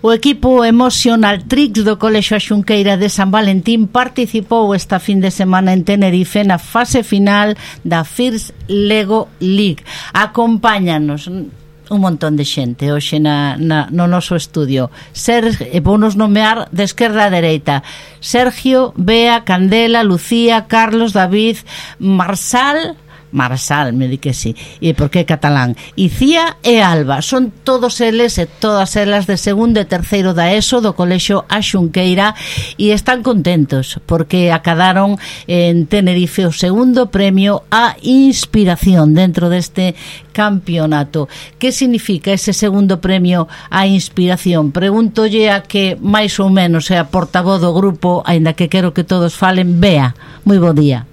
O equipo Emotional Tricks do Colexio A Xunqueira de San Valentín participou esta fin de semana en Tenerife na fase final da First Lego League. Acompáñanos un montón de xente hoxe no noso estudio. Vounos nomear de esquerda a dereita: Sergio, Bea, Candela, Lucía, Carlos, David, Marsal, me di que sí, e porque é catalán, Icía e Alba. Son todos eles e todas elas de segundo e terceiro da ESO do Colexio A Xunqueira e están contentos porque acadaron en Tenerife o segundo premio a inspiración dentro deste campeonato. Que significa ese segundo premio a inspiración? Pregúntolle a que máis ou menos é a portavoz do grupo, aínda que quero que todos falen. Bea, moi bo día.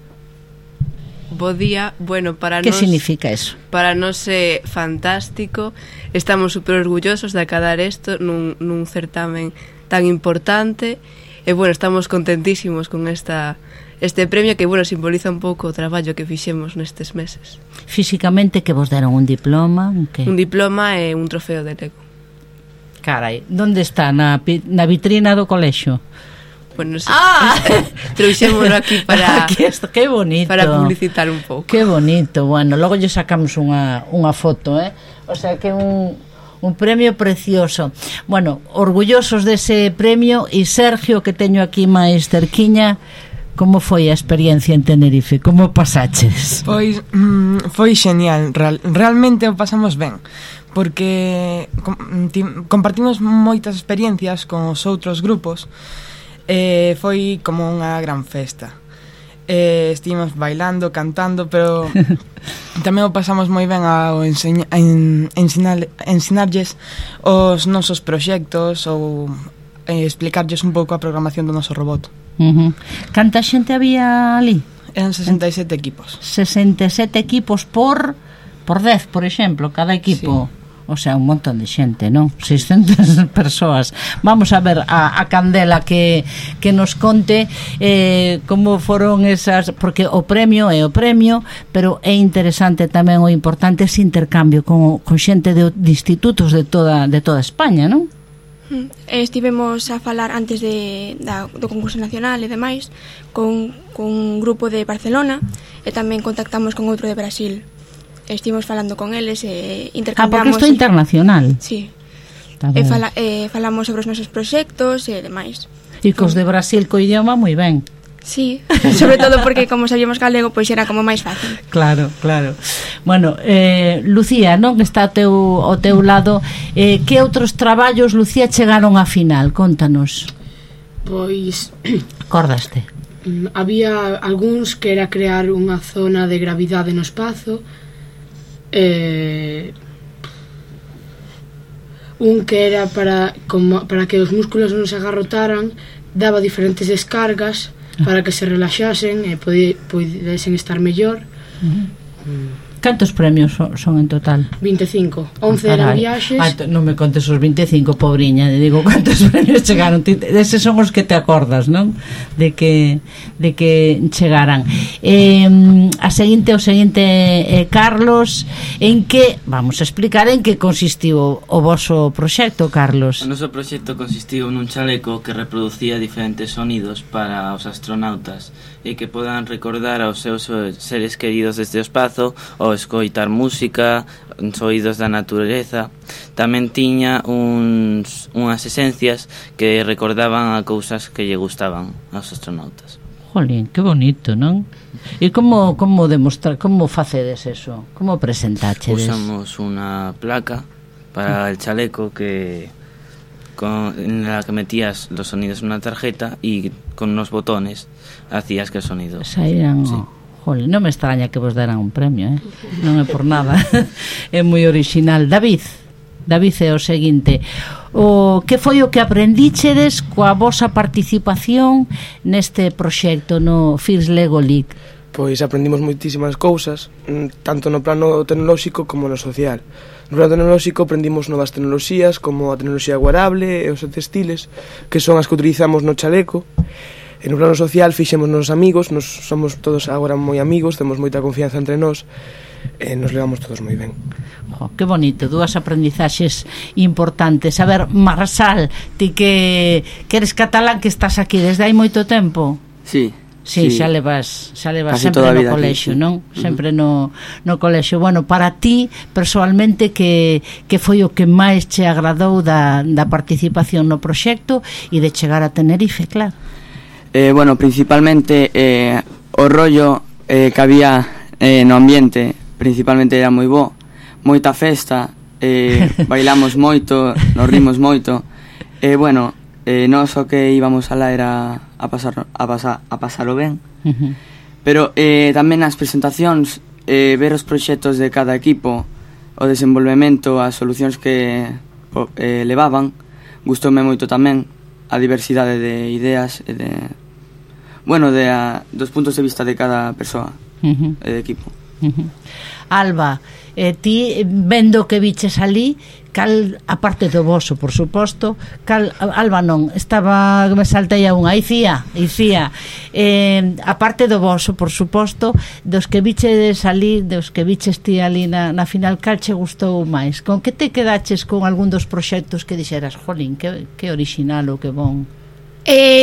Bo día. Bueno, para que nos... significa eso? Para nos é fantástico. Estamos super orgullosos de acadar isto nun certamen tan importante. E, bueno, estamos contentísimos con este premio que, bueno, simboliza un pouco o traballo que fixemos nestes meses. Físicamente, que vos deron un diploma? Un diploma e un trofeo de Lego. Carai, onde está? Na vitrina do colexio? Bueno, trouxémolo aquí para que bonito, para publicitar un pouco. Que bonito. Bueno, logo lle sacamos unha foto, O sea que un premio precioso. Bueno, orgullosos dese premio. E Sergio, que teño aquí máis cerquiña, como foi a experiencia en Tenerife? Como pasaches? Pois foi genial, realmente o pasamos ben, porque compartimos moitas experiencias con os outros grupos. Foi como unha gran festa. Estivemos bailando, cantando, pero tamén o pasamos moi ben ao ensinarlles os nosos proxectos ou explicarlles un pouco a programación do noso robot. Canta xente había ali? Eran 67 equipos. 67 equipos por 10, por exemplo, cada equipo. Sí. O sea, un montón de xente, non? 600 persoas. Vamos a ver a Candela que nos conte como foron esas, porque o premio é o premio, pero é interesante tamén, o importante ese intercambio con xente de institutos de toda España, non? Estivemos a falar antes do concurso nacional e demais con un grupo de Barcelona e tamén contactamos con outro de Brasil. Estivemos falando con eles e intercambiamos. Porque isto é internacional. Sí. Falamos sobre os nosos proxectos e demais. E cos de Brasil co idioma moi ben. Sí, sobre todo porque como sabíamos galego, pois era como máis fácil. Claro. Bueno, Lucía, non, que está ao teu lado, que outros traballos, Lucía, chegaron á final? Contanos. Pois acordaste? Había algúns que era crear unha zona de gravidade no espazo. Un que era para que os músculos non se agarrotaran, daba diferentes descargas para que se relaxasen e podesen estar mellor. Cantos premios son en total? 25, 11 eran viaxes. Non me contes os 25, pobriña. Digo, cantos premios chegaron? Eses son os que te acordas, non? De que chegaran. O seguinte, Carlos, vamos a explicar en que consistiu o voso proxecto, Carlos. O noso proxecto consistiu nun chaleco que reproducía diferentes sonidos para os astronautas e que podan recordar aos seus seres queridos desde o espazo ou escoitar música, os oídos da natureza. Tamén tiña unhas esencias que recordaban a cousas que lle gustaban aos astronautas. Jolín, que bonito, non? E como demostrar, como facedes eso? Como presentachedes? Usamos unha placa para el chaleco en la que metías los sonidos en una tarjeta y con unos botones hacías que el sonido saíran. Sí. Jole, non me extraña que vos deran un premio, non é por nada. É moi original. David é o seguinte: que foi o que aprendíchedes coa vosa participación neste proxecto no First Lego League? Pois aprendimos moitísimas cousas, tanto no plano tecnolóxico como no social. No plano tecnolóxico aprendimos novas tecnoloxías como a tecnoloxía wearable e os textiles, que son as que utilizamos no chaleco. E no plano social fixemos nos amigos, nos somos todos agora moi amigos, temos moita confianza entre nós, e nos levamos todos moi ben. Que bonito, dúas aprendizaxes importantes. A ver, Marçal, ti que eres catalán, que estás aquí desde hai moito tempo? Sí. Sí, xa levas casi sempre no colexio, aquí, sí. Non? Sempre no colexio. Bueno, para ti, personalmente, que foi o que máis che agradou da participación no proxecto e de chegar a Tenerife, claro? Bueno, principalmente o rollo que había no ambiente, principalmente era moi bo, moita festa, bailamos moito, nos rimos moito, bueno, nós o que íbamos alá era a pasalo ben, pero tamén nas presentacións, ver os proxectos de cada equipo, o desenvolvemento, as solucións que levaban, gustoume moito tamén a diversidade de ideas e dos puntos de vista de cada persoa e de equipo. Alba, ti vendo que viches ali, cal, aparte do voso, por suposto, Alba non, estaba, me saltei a unha, Icía, aparte do voso, por suposto, dos que viches ali, dos que viches ti ali na final, cal che gustou máis? Con que te quedaches con algún dos proxectos que dixeras, jolín, que original ou que bon?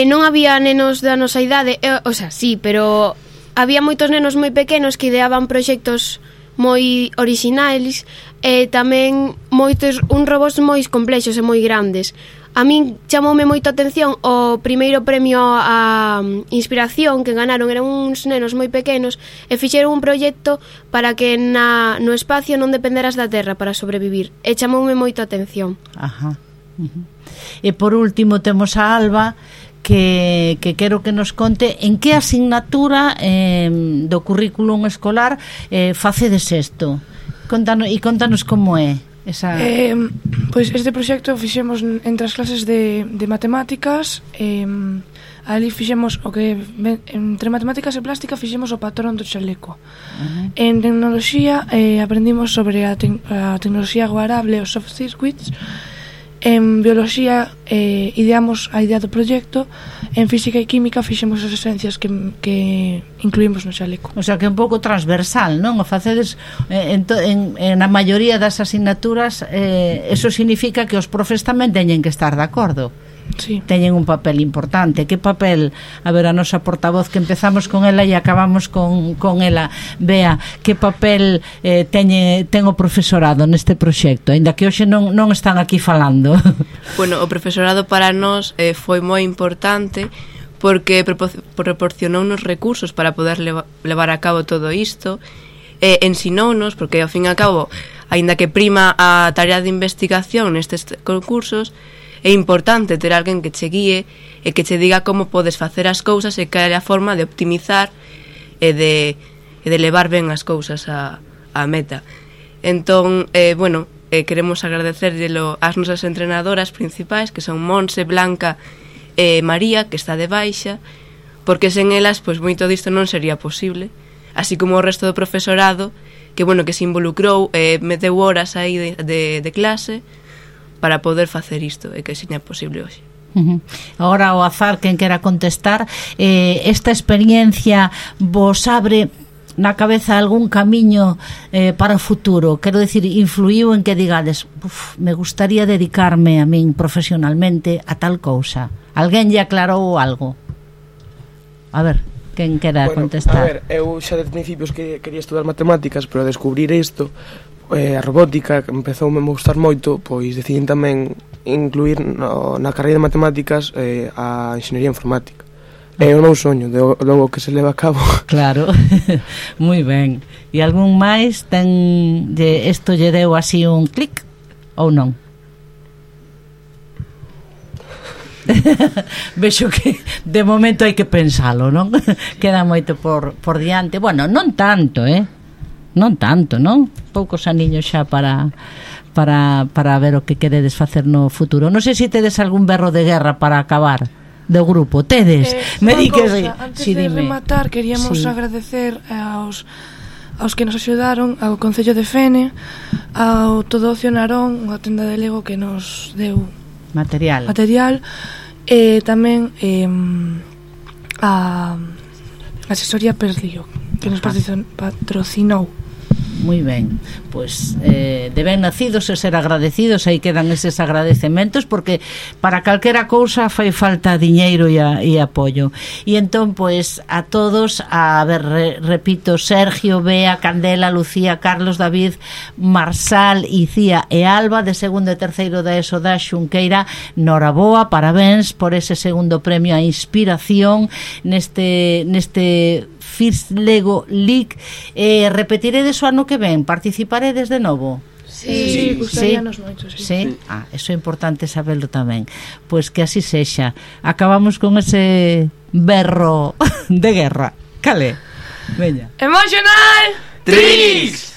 Non había nenos da nosa idade, o sea, sí, pero había moitos nenos moi pequenos que ideaban proxectos moi orixinais e tamén uns robots moi complexos e moi grandes. A min chamoume moito a atención o primeiro premio a inspiración que ganaron, eran uns nenos moi pequenos e fixeron un proxecto para que no espacio non dependeras da terra para sobrevivir, e chamoume moito a atención. Ajá. E por último temos a Alba, que quero que nos conte en que asignatura do currículum escolar facedes isto. Contanos como é esa... Pois este proxecto fixemos entre as clases de matemáticas, ali fixemos o que entre matemáticas e plástica fixemos o patrón do chaleco. En tecnoloxía aprendimos sobre a tecnoloxía wearable, os soft circuits. En bioloxía ideamos a idea do proxecto. En física e química fixemos as esencias que incluímos no chaleco. O sea, que é un pouco transversal, non? O facedes na maioría das asignaturas, eso significa que os profes tamén teñen que estar de acordo. Sí. Teñen un papel importante. Que papel, a ver, a nosa portavoz, que empezamos con ela e acabamos con ela, Bea, que papel ten o profesorado neste proxecto, aínda que hoxe non están aquí falando? Bueno, o profesorado para nós foi moi importante porque proporcionounos recursos para poder levar a cabo todo isto, ensinounos, porque ao fin e ao cabo, aínda que prima a tarea de investigación nestes concursos, é importante ter alguén que che guíe e que che diga como podes facer as cousas e que é a forma de optimizar e de levar ben as cousas a meta. Entón, bueno, queremos agradecerllelo ás nosas entrenadoras principais, que son Monse, Blanca e María, que está de baixa, porque sen elas, pois moito disto non sería posible, así como o resto do profesorado, que bueno, que se involucrou, meteu horas aí de clase para poder facer isto e que seña posible hoxe. Agora, ao azar, quen quera contestar, esta experiencia vos abre na cabeza algún camiño para o futuro? Quero dicir, influiu en que digades, me gustaría dedicarme a min profesionalmente a tal cousa? Alguén lle aclarou algo? A ver, quen quera contestar? A ver, eu xa de principios que quería estudar matemáticas, pero a descubrir isto, a robótica, que empezoume a gustar moito, pois decidín tamén incluir na carreira de matemáticas a enxeñería informática. É o meu soño, logo que se leva a cabo. Claro, moi ben. E algún máis isto lle deu así un clic ou non? Vexo que de momento hai que pensalo, non? Queda moito por diante. Bueno, non tanto, non tanto, non? Poucos aniños xa para ver o que queredes facer no futuro. Non sei se tedes algún berro de guerra para acabar do grupo. Tedes? Me di que sí. Antes de rematar, queríamos agradecer aos que nos axudaron, ao Concello de Fene, ao Todo Ocio Narón, unha tenda de Lego que nos deu material, e tamén a asesoría Perlío, que nos patrocinou. Moi ben, pois de ben nacidos e ser agradecidos, aí quedan eses agradecementos, porque para calquera cousa fai falta diñeiro e apoio. E entón, pois, a todos, repito, Sergio, Bea, Candela, Lucía, Carlos, David, Marsal, Icía e Alba, de segundo e terceiro da ESO da Xunqueira, noraboa, parabéns por ese segundo premio a inspiración neste First Lego League. Repetiredes o ano que ven? Participaredes de novo? Sí, gustaríanos moito, sí. Sí? Eso é importante saberlo tamén. Pois que así sexa. Acabamos con ese berro de guerra. Cale? Veña. Emotional Tricks!